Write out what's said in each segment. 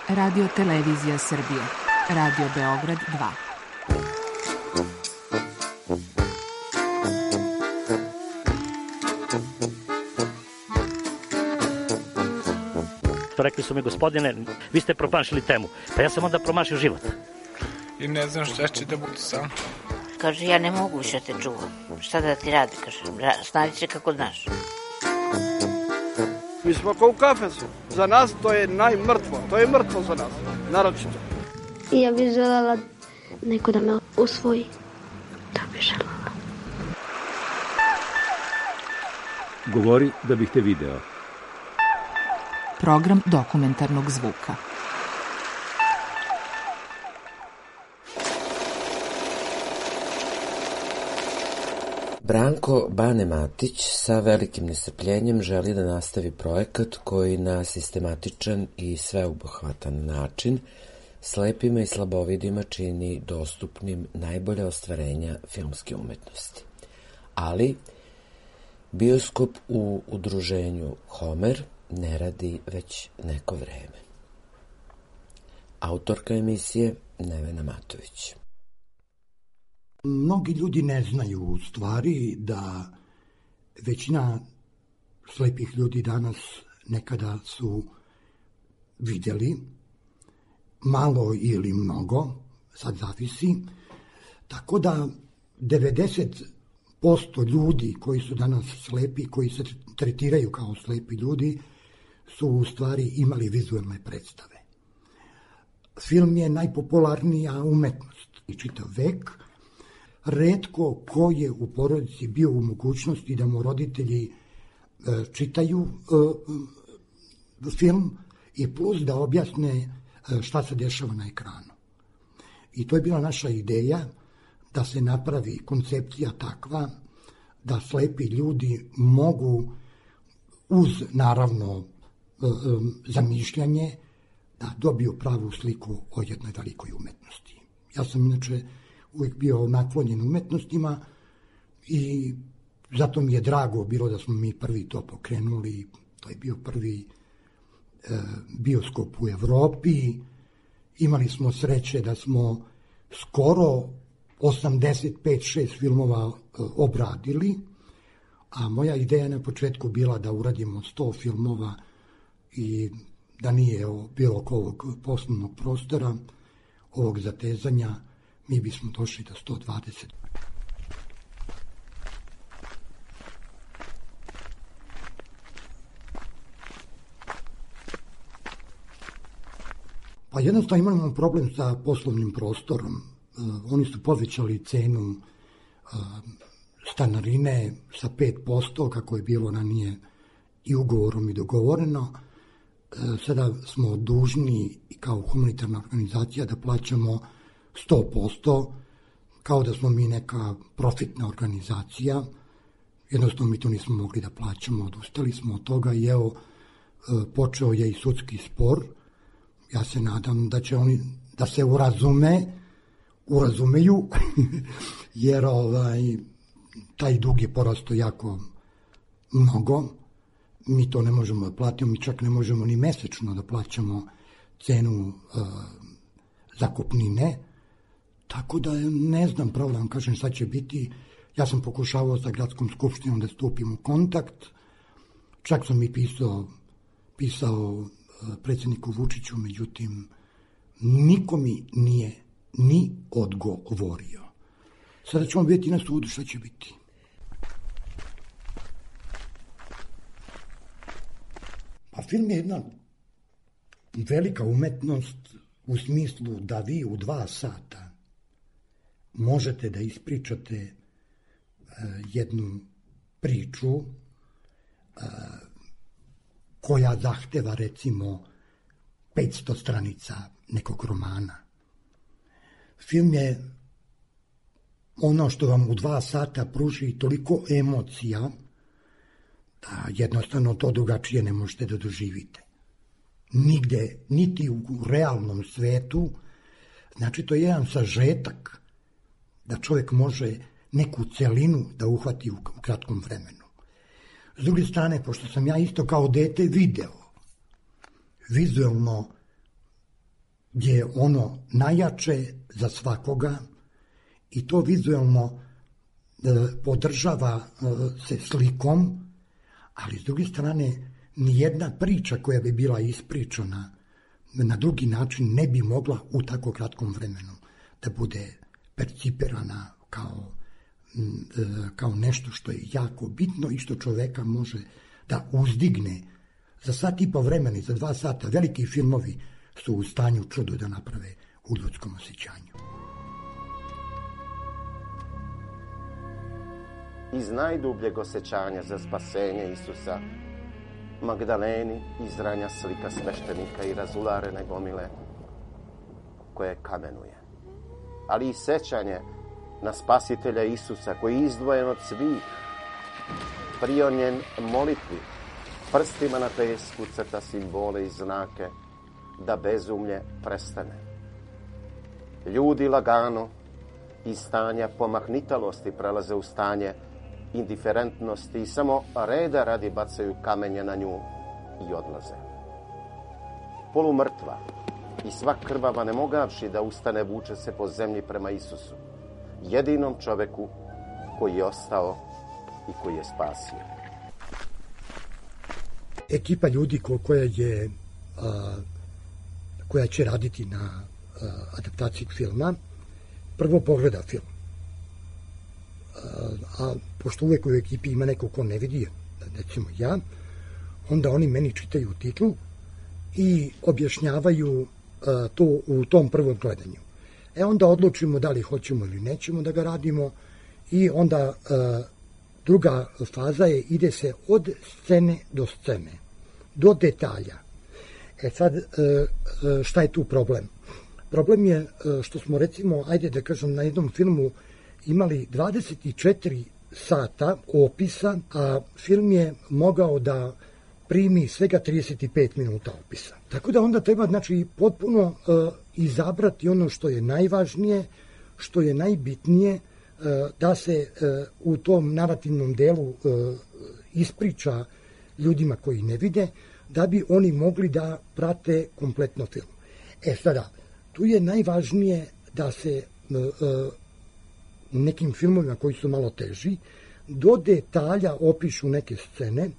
Radio Televizija Srbije. Radio Beograd 2. Rekli su mi, gospodine, vi ste promašili temu. Pa ja sam onda promašio život. I ne znam šta će da bude sam. Kaže, ja ne mogu više te čuvam. Šta da ti radi, kaže, snađi se kako znaš. Mi smo kao u kafesu. Za nas to je najmrtvo. To je mrtvo za nas, naročito. I ja bih želela neko da me usvoji. To bih želela. Govori da bih te video. Program dokumentarnog zvuka. Branko Bane Matić sa velikim nestrpljenjem želi da nastavi projekat koji na sistematičan i sveobuhvatan način slepima i slabovidima čini dostupnim najbolja ostvarenja filmske umetnosti. Ali bioskop u udruženju Homer ne radi već neko vreme. Autorka emisije Nevena Matović. Mnogi ljudi ne znaju u stvari da većina slepih ljudi danas nekada su vidjeli, malo ili mnogo, sad zavisi, tako da 90% ljudi koji su danas slepi, koji se tretiraju kao slepi ljudi, su u stvari imali vizualne predstave. Film je najpopularnija umetnost i čitav vek. Retko ko je u porodici bio u mogućnosti da mu roditelji čitaju film i plus da objasne šta se dešava na ekranu. I to je bila naša ideja da se napravi koncepcija takva da slepi ljudi mogu uz naravno zamišljanje da dobiju pravu sliku o jednoj velikoj umetnosti. Ja sam inače uvijek bio naklonjen umetnostima i zato mi je drago bilo da smo mi prvi to pokrenuli. To je bio prvi bioskop u Evropi. Imali smo sreće da smo skoro 85-6 filmova obradili, a moja ideja na početku bila da uradimo 100 filmova i da nije bilo ovog poslovnog prostora, ovog zatezanja, mi bismo došli do 120. Pa jednostavno imamo problem sa poslovnim prostorom. Oni su povećali cenu stanarine sa 5%, kako je bilo ranije i ugovorom i dogovoreno. Sada smo dužni kao humanitarna organizacija da plaćamo 100%, kao da smo mi neka profitna organizacija. Jednostavno mi to nismo mogli da plaćamo, odustali smo od toga i evo počeo je i sudski spor. Ja se nadam da će oni da se urazumeju, jer taj dug je porastao jako mnogo. Mi to ne možemo da platimo, mi čak ne možemo ni mesečno da plaćamo cenu zakupnine, tako da ne znam pravo da vam kažem šta će biti. Ja sam pokušavao sa gradskom skupštinom da stupim u kontakt, čak sam i pisao predsjedniku Vučiću, međutim niko mi nije ni odgovorio. Sada ćemo vidjeti na sudu šta će biti. Pa film je jedna velika umetnost u smislu da vi u 2 sata možete da ispričate jednu priču koja zahteva recimo 500 stranica nekog romana. Film je ono što vam u 2 sata pruži toliko emocija da jednostavno to drugačije ne možete da doživite. Nigde, niti u realnom svetu. Znači, to je jedan sažetak da čovjek može neku celinu da uhvati u kratkom vremenu. S druge strane, pošto sam ja isto kao dete video vizualno je ono najjače za svakoga i to vizualno podržava se slikom, ali s druge strane nijedna priča koja bi bila ispričana na drugi način ne bi mogla u tako kratkom vremenu da bude percipirana kao nešto što je jako bitno i što čoveka može da uzdigne. Za sat i po vremena i za 2 sata veliki filmovi su u stanju čudo da naprave u ljudskom osjećanju. Iz najdubljeg osjećanja za spasenje Isusa, Magdaleni izranja slika sveštenika i razularene gomile koje kamenuje. Ali i sećanje na spasitelja Isusa koji je izdvojen od svih, prionjen molitvi, prstima na pesku crta simbole i znake da bezumlje prestane. Ljudi lagano iz stanja pomahnitalosti prelaze u stanje indiferentnosti i samo reda radi bacaju kamenje na nju i odlaze. Polumrtva i sva krvava ne mogavši da ustane vuče se po zemlji prema Isusu, jedinom čoveku koji je ostao i koji je spasio. Ekipa ljudi koja će raditi na adaptaciji filma prvo pogleda film. A pošto uvek u ekipi ima neko ko ne vidi, recimo ja, onda oni meni čitaju titl i objašnjavaju to u tom prvom gledanju. Onda odlučimo da li hoćemo ili nećemo da ga radimo i onda druga faza je ide se od scene do scene, do detalja. Sad, šta je tu problem? Problem je što smo recimo, ajde da kažem, na jednom filmu imali 24 sata opisa, a film je mogao da primi svega 35 minuta opisa. Tako da onda treba, znači, potpuno izabrati ono što je najvažnije, što je najbitnije, da se u tom narativnom delu ispriča ljudima koji ne vide, da bi oni mogli da prate kompletno film. Sada, tu je najvažnije da se nekim filmovima koji su malo teži, do detalja opišu neke scene,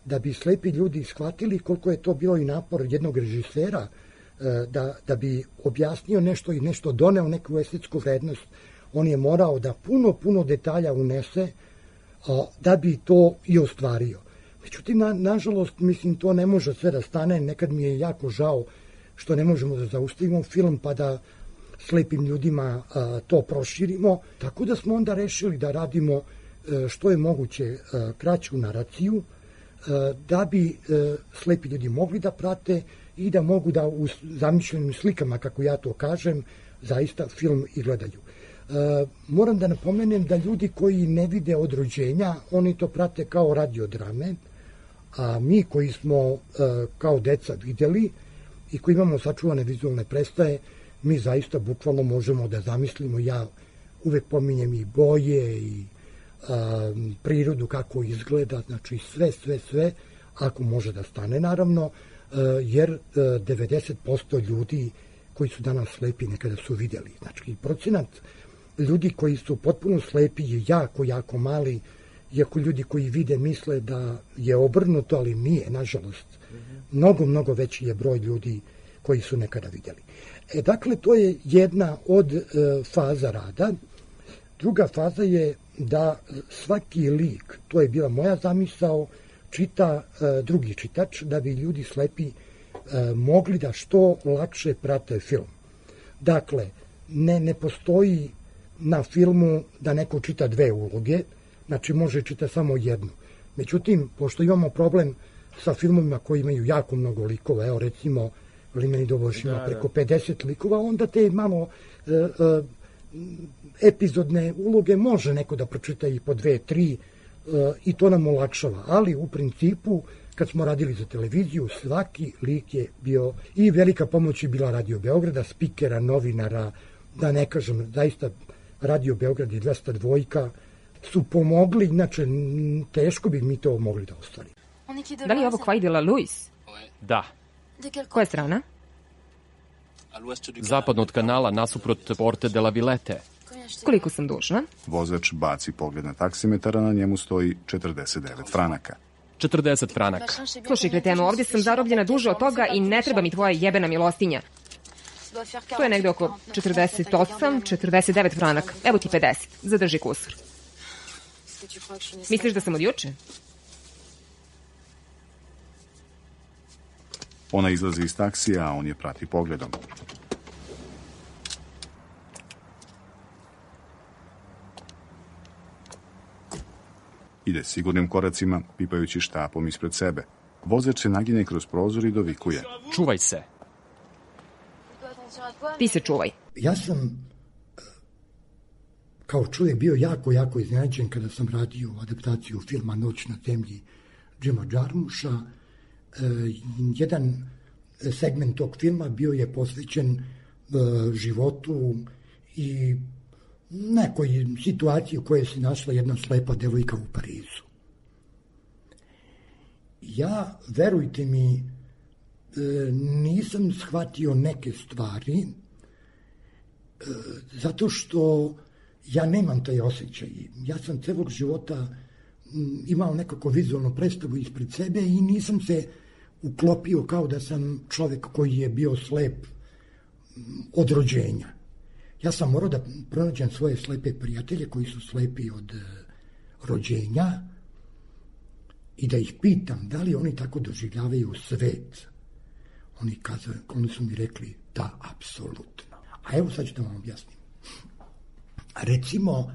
da bi slepi ljudi shvatili koliko je to bilo i napor jednog režisera, da bi objasnio nešto i nešto doneo neku estetsku vrednost. On je morao da puno detalja unese da bi to i ostvario. Međutim, nažalost, mislim, to ne može sve da stane. Nekad mi je jako žao što ne možemo da zaustavimo film pa da slepim ljudima to proširimo. Tako da smo onda rešili da radimo što je moguće kraću naraciju, da bi slepi ljudi mogli da prate i da mogu da u zamišljenim slikama, kako ja to kažem, zaista film i gledaju. Moram da napomenem da ljudi koji ne vide od rođenja, oni to prate kao radiodrame, a mi koji smo kao deca videli i koji imamo sačuvane vizualne predstave, mi zaista bukvalno možemo da zamislimo. Ja uvek pominjem i boje i prirodu kako izgleda, znači sve, ako može da stane, naravno, jer 90% ljudi koji su danas slepi nekada su videli. Znači, procenat ljudi koji su potpuno slepi je jako mali, iako ljudi koji vide misle da je obrnuto, ali nije, nažalost. Mnogo veći je broj ljudi koji su nekada videli. Dakle, to je jedna od faza rada. Druga faza je da svaki lik, to je bila moja zamisao, čita drugi čitač, da bi ljudi slepi mogli da što lakše prate film. Dakle, ne postoji na filmu da neko čita 2 uloge, znači može čita samo jednu. Međutim, pošto imamo problem sa filmovima koji imaju jako mnogo likova, evo recimo Limeni Doboš ima preko 50 likova, onda te malo epizodne uloge može neko da pročita i po 2, 3 i to nam olakšava. Ali u principu, kad smo radili za televiziju, svaki lik je bio i velika pomoć je bila Radio Beograda, spikera, novinara, da ne kažem, zaista Radio Beograd i 202 su pomogli, inače teško bi mi to mogli da ostvarimo. Da li je ovo Quai de la Luis? Da. Koja strana? zapadno od kanala, nasuprot Porte de la Villette. Koliko sam dužna? Vozač baci pogled na taksimetar, a na njemu stoji 49 franaka. 40 franaka. Slušaj, kreteno, ovdje sam zarobljena duže od toga i ne treba mi tvoja jebena milostinja. To je negde oko 48, 49 franaka. Evo ti 50. Zadrži kusur. Misliš da sam od juče? Ona izlazi iz taksija, a on je prati pogledom. Ide sigurnim koracima, pipajući štapom ispred sebe. Vozač se naginje kroz prozor i dovikuje. Čuvaj se. Ti se čuvaj. Ja sam kao čovjek bio jako iznenađen kada sam radio adaptaciju filma Noć na zemlji Jima Jarmusha. Jedan segment tog filma bio je posvećen životu i nekoj situaciji u kojoj se našla jedna slepa devojka u Parizu. Ja, verujte mi, nisam shvatio neke stvari zato što ja nemam taj osjećaj. Ja sam celog života imao nekako vizualnu predstavu ispred sebe i nisam se uklopio kao da sam čovjek koji je bio slep od rođenja. Ja sam morao da pronađem svoje slepe prijatelje koji su slepi od rođenja i da ih pitam da li oni tako doživljavaju svet. Oni su mi rekli da, apsolutno. A evo sad ću da vam objasnim. Recimo,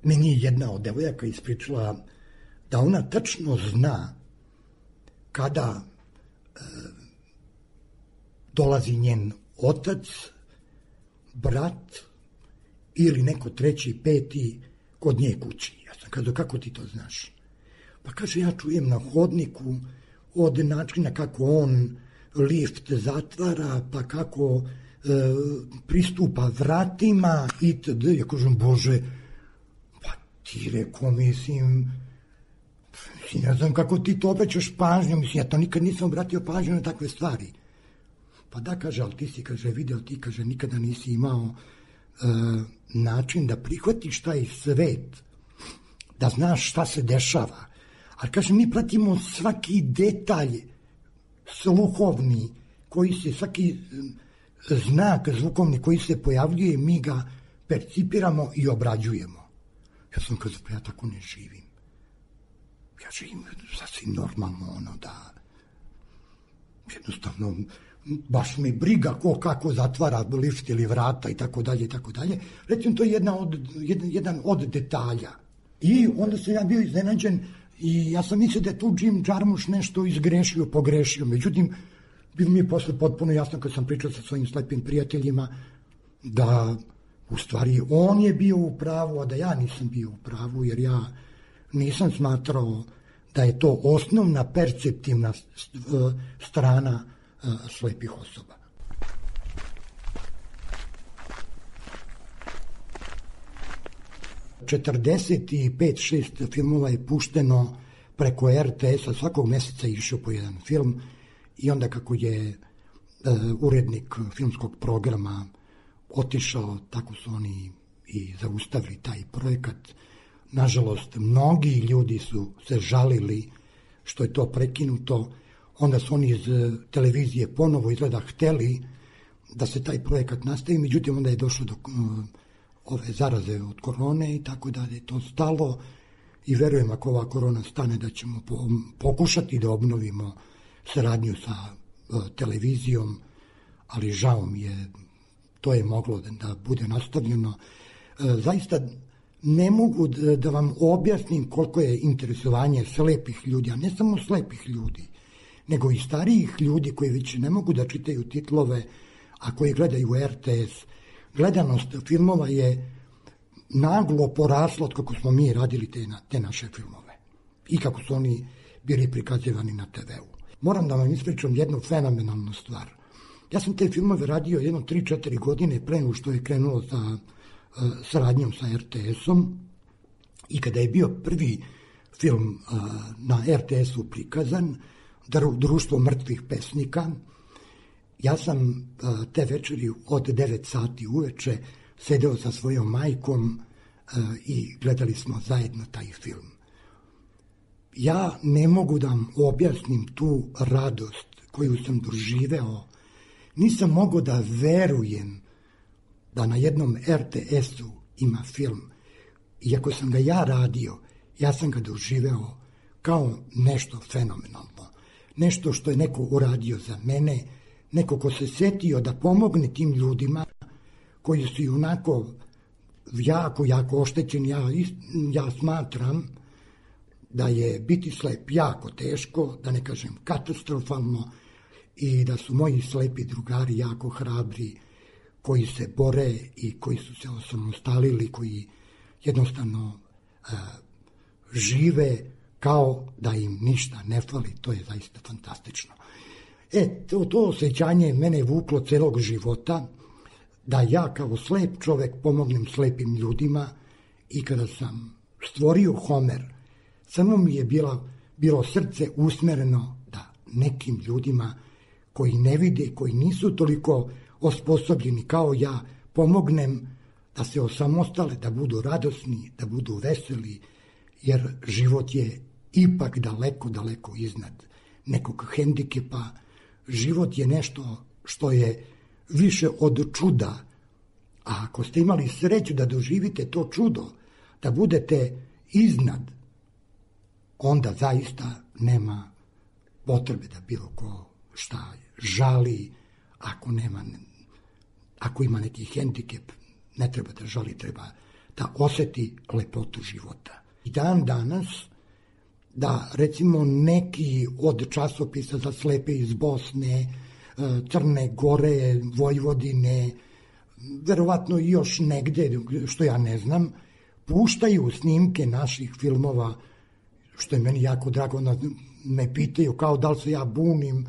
meni je jedna od devojaka ispričala da ona tačno zna kada dolazi njen otac, brat ili neko treći, peti kod nje kući. Ja sam kazao, kako ti to znaš? Pa kaže, ja čujem na hodniku od načina kako on lift zatvara, pa kako pristupa vratima itd. Ja kažem, Bože, pa ti rekao, mislim, ne znam kako ti to obraćaš pažnju, mislim, ja to nikad nisam obratio pažnju na takve stvari. Pa da, kaže, ali ti si, kaže, video, ti, kaže, nikada nisi imao način da prihvatiš taj svet, da znaš šta se dešava. Ali, kaže, mi pratimo svaki detalj sluhovni, koji se, svaki znak zvukovni koji se pojavljuje, mi ga percipiramo i obrađujemo. Ja sam kazao, pa ja tako ne živim. Ja živim sasvim normalno, da jednostavno baš mi briga ko kako zatvara lift ili vrata i tako dalje i tako dalje. Recimo, to je jedan od detalja. I onda sam ja bio iznenađen i ja sam mislio da je tu Jim Jarmusch nešto izgrešio, pogrešio. Međutim, bilo mi je posle potpuno jasno kad sam pričao sa svojim slepim prijateljima da u stvari on je bio u pravu, a da ja nisam bio u pravu, jer ja nisam smatrao da je to osnovna perceptivna strana slepih osoba. Četrdeset 5-6 filmova je pušteno preko RTS-a, svakog meseca je išao po jedan film i onda kako je urednik filmskog programa otišao, tako su oni i zaustavili taj projekat. Nažalost, mnogi ljudi su se žalili što je to prekinuto. Onda su oni iz televizije ponovo izgleda hteli da se taj projekat nastavi, međutim onda je došlo do ove zaraze od korone i tako da je to stalo i verujem ako ova korona stane da ćemo pokušati da obnovimo saradnju sa televizijom, ali žao mi je, to je moglo da bude nastavljeno. Zaista ne mogu da vam objasnim koliko je interesovanje slepih ljudi, a ne samo slepih ljudi, nego i starijih ljudi koji već ne mogu da čitaju titlove, a koji gledaju RTS. Gledanost filmova je naglo porasla od kako smo mi radili te naše filmove i kako su oni bili prikazivani na TV-u. Moram da vam ispričam jednu fenomenalnu stvar. Ja sam te filmove radio jedno 3-4 godine pre nego što je krenulo sa saradnjom sa RTS-om i kada je bio prvi film na RTS-u prikazan, društvo mrtvih pesnika. Ja sam te večeri od 9 sati uveče sedeo sa svojom majkom i gledali smo zajedno taj film. Ja ne mogu da vam objasnim tu radost koju sam doživeo. Nisam mogao da verujem da na jednom RTS-u ima film. Iako sam ga ja radio, ja sam ga doživeo kao nešto fenomenalno. Nešto što je neko uradio za mene, neko ko se setio da pomogne tim ljudima koji su i onako jako oštećeni. Ja smatram da je biti slep jako teško, da ne kažem katastrofalno, i da su moji slepi drugari jako hrabri, koji se bore i koji su se osamostalili, koji jednostavno žive kao da im ništa ne fali. To je zaista fantastično. To osjećanje mene vuklo celog života, da ja kao slep čovek pomognem slepim ljudima, i kada sam stvorio Homer, samo mi je bilo srce usmereno da nekim ljudima koji ne vide, koji nisu toliko osposobljeni kao ja, pomognem da se osamostale, da budu radosni, da budu veseli, jer život je ipak daleko iznad nekog hendikepa. Život je nešto što je više od čuda, a ako ste imali sreću da doživite to čudo, da budete iznad, onda zaista nema potrebe da bilo ko šta žali. Ako ima neki hendikep, ne treba da žali, treba da oseti lepotu života. I dan danas, da recimo neki od časopisa za slepe iz Bosne, Crne Gore, Vojvodine, verovatno i još negde, što ja ne znam, puštaju snimke naših filmova, što je meni jako drago. Me pitaju kao da li se ja bunim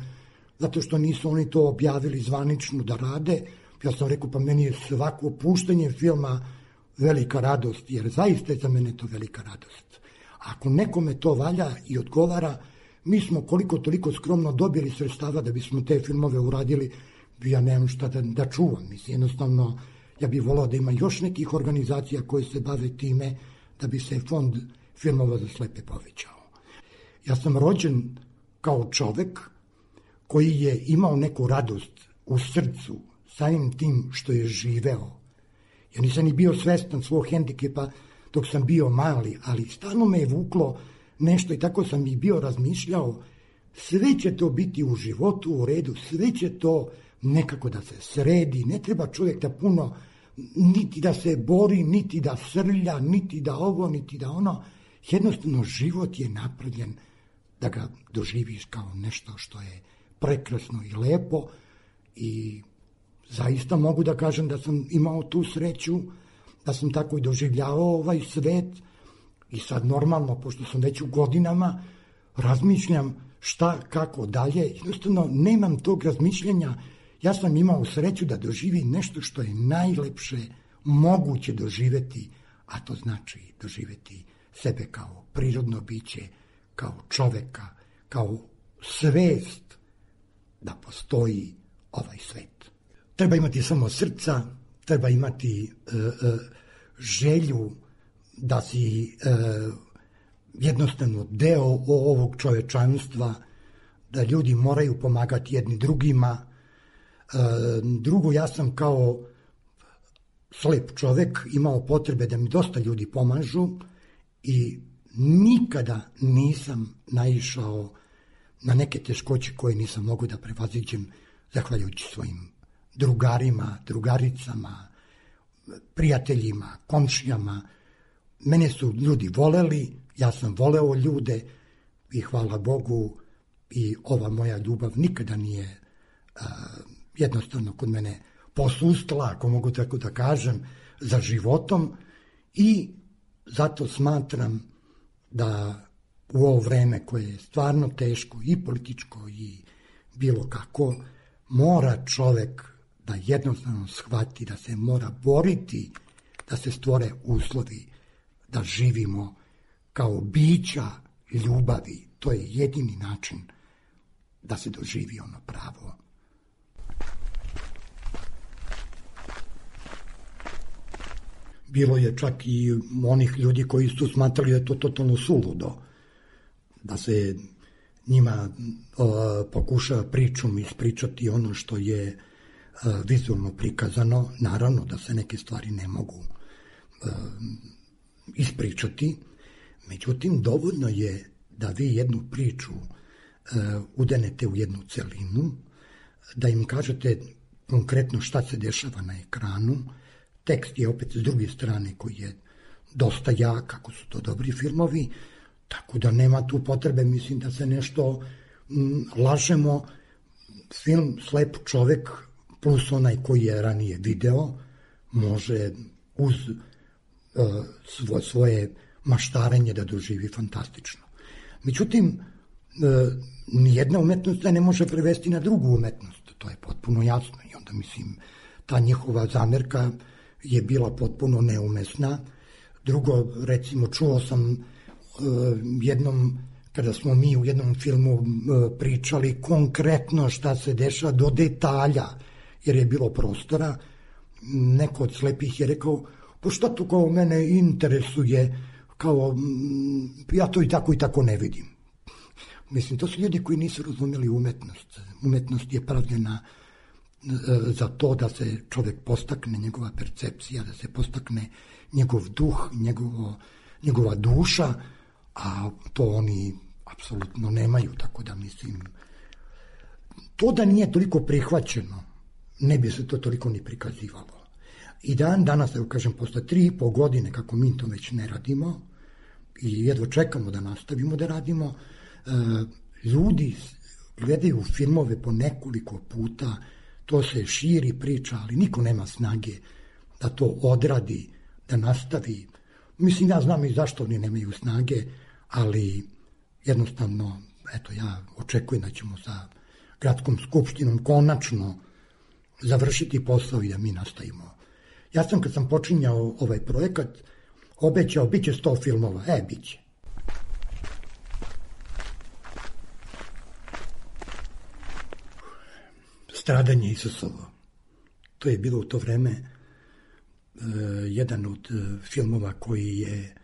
zato što nisu oni to objavili zvanično da rade. Ja sam rekao, pa meni je svako puštanje filma velika radost, jer zaista je za mene to velika radost. Ako nekome to valja i odgovara, mi smo koliko toliko skromno dobili sredstava da bismo te filmove uradili. Ja nemam šta da čuvam. Mislim, jednostavno, ja bih volao da ima još nekih organizacija koje se bave time, da bi se fond filmova za slepe povećao. Ja sam rođen kao čovek koji je imao neku radost u srcu samim tim što je živeo. Ja nisam ni bio svestan svog hendikepa dok sam bio mali, ali stalno me je vuklo nešto i tako sam i bio razmišljao, sve će to biti u životu u redu, sve će to nekako da se sredi, ne treba čovjek da puno, niti da se bori, niti da srlja, niti da ovo, niti da ono. Jednostavno život je napravljen da ga doživiš kao nešto što je prekrasno i lepo, i zaista mogu da kažem da sam imao tu sreću, da sam tako i doživljavao ovaj svet. I sad normalno, pošto sam već u godinama, razmišljam šta, kako dalje. Jednostavno nemam tog razmišljenja. Ja sam imao sreću da doživim nešto što je najlepše moguće doživeti, a to znači doživeti sebe kao prirodno biće, kao čoveka, kao svest da postoji ovaj svet. Treba imati samo srca, treba imati želju da si jednostavno deo ovog čovečanstva, da ljudi moraju pomagati jedni drugima. Drugo, ja sam kao slep čovek imao potrebe da mi dosta ljudi pomažu i nikada nisam naišao na neke teškoće koje nisam mogao da prevaziđem zahvaljujući svojim drugarima, drugaricama, prijateljima, komšijama. Mene su ljudi voleli, ja sam voleo ljude i hvala Bogu, i ova moja ljubav nikada nije jednostavno kod mene posustala, ako mogu tako da kažem, za životom, i zato smatram da u ovo vreme koje je stvarno teško i političko i bilo kako, mora čovek da jednostavno shvati da se mora boriti, da se stvore uslovi da živimo kao bića ljubavi. To je jedini način da se doživi ono pravo. Bilo je čak i onih ljudi koji su smatrali da je to totalno suludo, da se njima pokuša pričom ispričati ono što je vizualno prikazano. Naravno da se neke stvari ne mogu ispričati, međutim dovoljno je da vi jednu priču udenete u jednu celinu, da im kažete konkretno šta se dešava na ekranu. Tekst je opet s druge strane koji je dosta jak, kako su to dobri filmovi, tako da nema tu potrebe, mislim, da se nešto lažemo. Film Slep čovek plus onaj koji je ranije video može uz svoje maštarenje da doživi fantastično. Međutim, nijedna umetnost ne može prevesti na drugu umetnost, to je potpuno jasno i onda, mislim, ta njihova zamerka je bila potpuno neumesna. Drugo, recimo, čuo sam jednom, kada smo mi u jednom filmu pričali konkretno šta se dešava do detalja, jer je bilo prostora, neko od slepih je rekao, pa šta to kao mene interesuje, kao ja to i tako ne vidim. Mislim, to su ljudi koji nisu razumeli umetnost. Umetnost je pravljena za to da se čovjek postakne, njegova percepcija, da se postakne njegov duh, njegova duša, a to oni apsolutno nemaju, tako da mislim, to da nije toliko prihvaćeno, ne bi se to toliko ni prikazivalo. I danas, evo kažem, posle 3,5 godine kako mi to već ne radimo i jedva čekamo da nastavimo da radimo, ljudi gledaju filmove po nekoliko puta, to se širi priča, ali niko nema snage da to odradi, da nastavi. Mislim, ja znam i zašto oni nemaju snage, ali jednostavno, eto, ja očekujem da ćemo sa gradskom skupštinom konačno završiti posao i da mi nastavimo. Ja sam, kad sam počinjao ovaj projekat, obećao, bit će 100 filmova. Bit će. Stradanje Isusovo. To je bilo u to vreme jedan od filmova koji je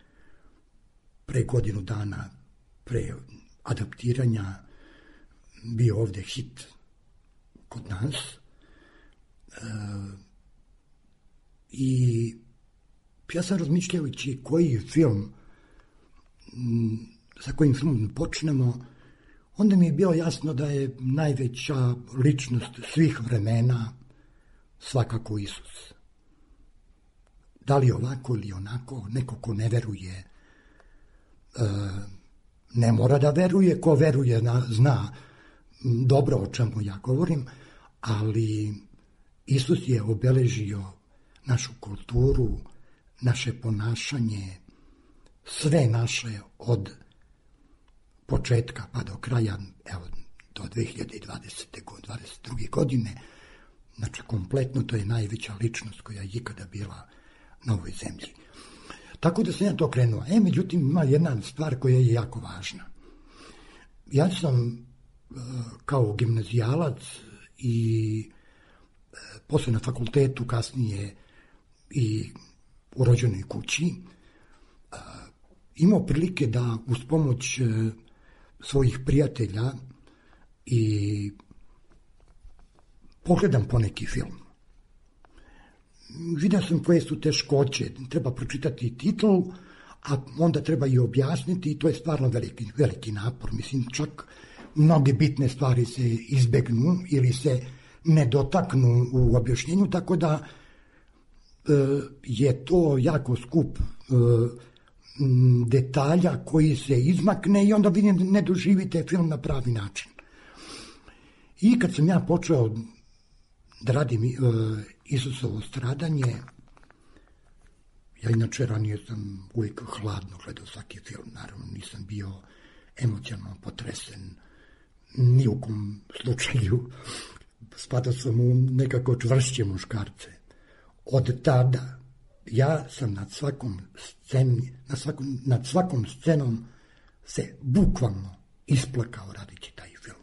pre godinu dana, pre adaptiranja, bio ovde hit kod nas. I ja sam razmišljajući koji film, sa kojim filmom počnemo, onda mi je bilo jasno da je najveća ličnost svih vremena svakako Isus. Da li ovako ili onako, neko ko ne veruje, ne mora da veruje, ko veruje zna dobro o čemu ja govorim, ali Isus je obeležio našu kulturu, naše ponašanje, sve naše od početka pa do kraja, evo, do 2022. godine. Znači, kompletno to je najveća ličnost koja je ikada bila na ovoj zemlji. Tako da sam ja to krenuo. Međutim, ima jedna stvar koja je jako važna. Ja sam kao gimnazijalac i posle na fakultetu, kasnije i u rođenoj kući, imao prilike da uz pomoć svojih prijatelja i pogledam poneki film. Vidio sam koje su teškoće, treba pročitati titl, a onda treba i objasniti i to je stvarno veliki napor. Mislim, čak mnoge bitne stvari se izbegnu ili se ne dotaknu u objašnjenju, tako da je to jako skup detalja koji se izmakne i onda vi ne doživite film na pravi način. I kad sam ja počeo da radim Isusovo stradanje, ja inače ranije sam uvijek hladno gledao svaki film, naravno nisam bio emocionalno potresen ni u kom slučaju, spadao sam u nekako čvršće muškarce. Od tada ja sam nad svakom scenom se bukvalno isplakao radeći taj film.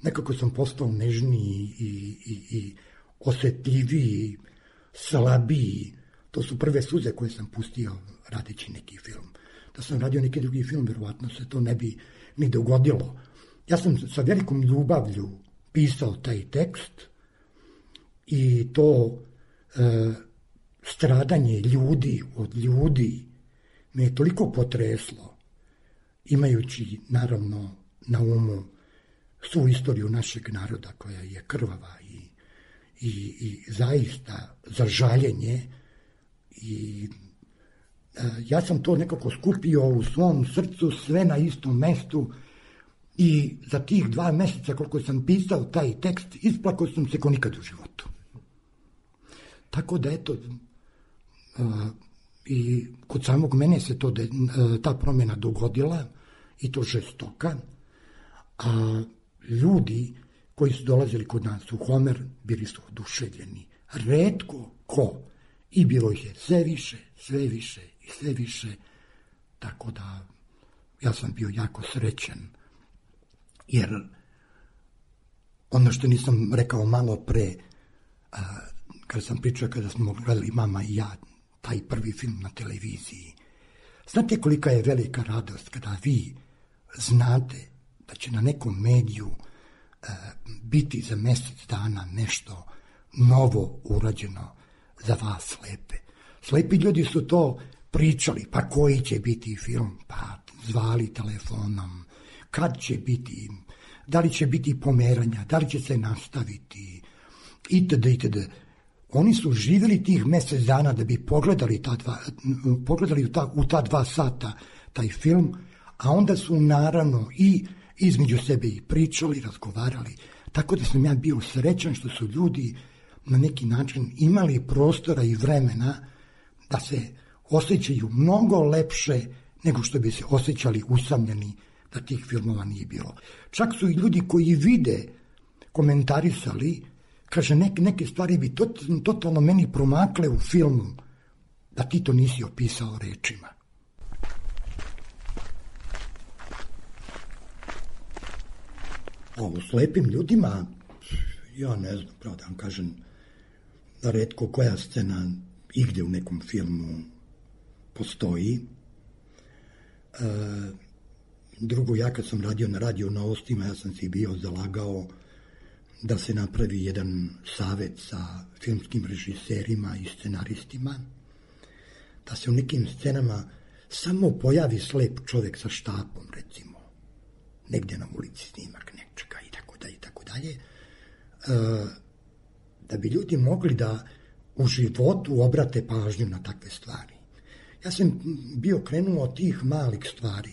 nekako sam postao nežniji i osjetljiviji, slabiji. To su prve suze koje sam pustio radeći neki film. Da sam radio neki drugi film, verovatno se to ne bi ni dogodilo. Ja sam sa velikom ljubavlju pisao taj tekst i to stradanje ljudi od ljudi me je toliko potreslo, imajući naravno na umu svu istoriju našeg naroda koja je krvava i zaista za žaljenje. I ja sam to nekako skupio u svom srcu, sve na istom mestu, i za tih 2 meseca koliko sam pisao taj tekst, isplakao sam se ko nikad u životu. Tako da eto, i kod samog mene se ta promjena dogodila, i to žestoka, a ljudi koji su dolazili kod nas u Homer bili su oduševljeni. Retko ko, i bilo ih je sve više, tako da ja sam bio jako srećan, jer ono što nisam rekao malo pre, kada sam pričao, kada smo gledali mama i ja taj prvi film na televiziji, znate kolika je velika radost kada vi znate da će na nekom mediju biti za mjesec dana nešto novo urađeno za vas slepe. Slepi ljudi su to pričali, pa koji će biti film, pa zvali telefonom, kad će biti, da li će biti pomeranja, da li će se nastaviti, itd. Oni su živjeli tih mjesec dana da bi pogledali u ta 2 sata taj film, a onda su naravno i između sebe i pričali, razgovarali, tako da sam ja bio srećan što su ljudi na neki način imali prostora i vremena da se osjećaju mnogo lepše nego što bi se osjećali usamljeni da tih filmova nije bilo. Čak su i ljudi koji vide komentarisali, kaže, neke stvari bi totalno meni promakle u filmu da ti to nisi opisao rečima. O slepim ljudima, ja ne znam, pravo da vam kažem, da retko koja scena igdje u nekom filmu postoji. Drugo, ja kad sam radio na Radio Novostima, ja sam si bio zalagao da se napravi jedan savet sa filmskim režiserima i scenaristima, da se u nekim scenama samo pojavi slep čovjek sa štapom, recimo, negdje na ulici snimak nečega i tako dalje, da bi ljudi mogli da u životu obrate pažnju na takve stvari. Ja sam bio krenuo od tih malih stvari,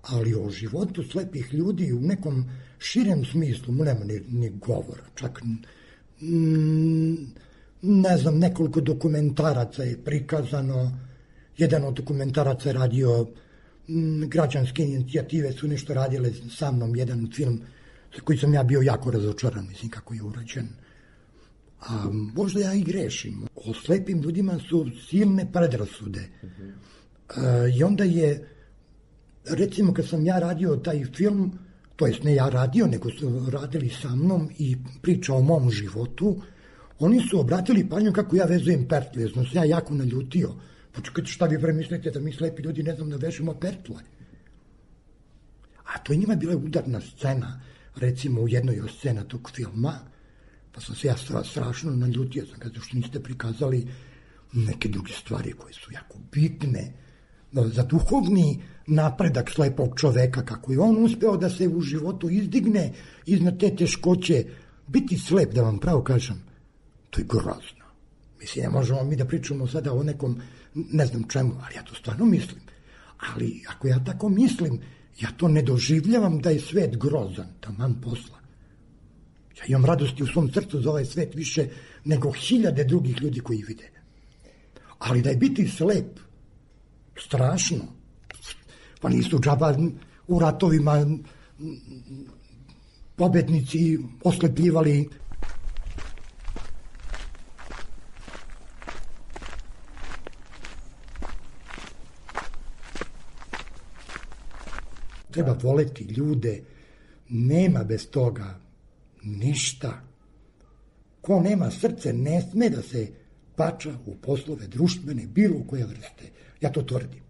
ali o životu slepih ljudi u nekom širem smislu nema ni govora. Čak, ne znam, nekoliko dokumentaraca je prikazano. Jedan od dokumentaraca je radio, građanske inicijative su nešto radile sa mnom, jedan film koji sam ja bio jako razočaran, mislim kako je urađen. A možda ja i grešim. O slepim ljudima su silne predrasude. I onda je, recimo kad sam ja radio taj film, to jest ne ja radio, nego su radili sa mnom i priča o mom životu, oni su obratili pažnju kako ja vezujem pertle, jer sam se ja jako naljutio. Počekajte, šta vi premislite da mi slepi ljudi ne znam da vežemo pertle? A to je njima bila udarna scena, recimo u jednoj od scena tog filma, pa sam se ja strašno naljutio, sam kada što niste prikazali neke druge stvari koje su jako bitne za duhovni napredak slepog čoveka, kako je on uspeo da se u životu izdigne iznad te teškoće. Biti slep, da vam pravo kažem, to je grozno. Mislim, ne možemo mi da pričamo sada o nekom, ne znam čemu, ali ja to stvarno mislim. Ali ako ja tako mislim, ja to ne doživljavam da je svet grozan, taman posla. Ja imam radosti u svom srcu za ovaj svet više nego 1000 drugih ljudi koji vide. Ali da je biti slep strašno. Pa nisu džaba u ratovima pobednici oslepljivali. Treba voleti ljude, nema bez toga ništa. Ko nema srce ne sme da se pača u poslove društvene bilo koje vrste. Ja to tvrdim.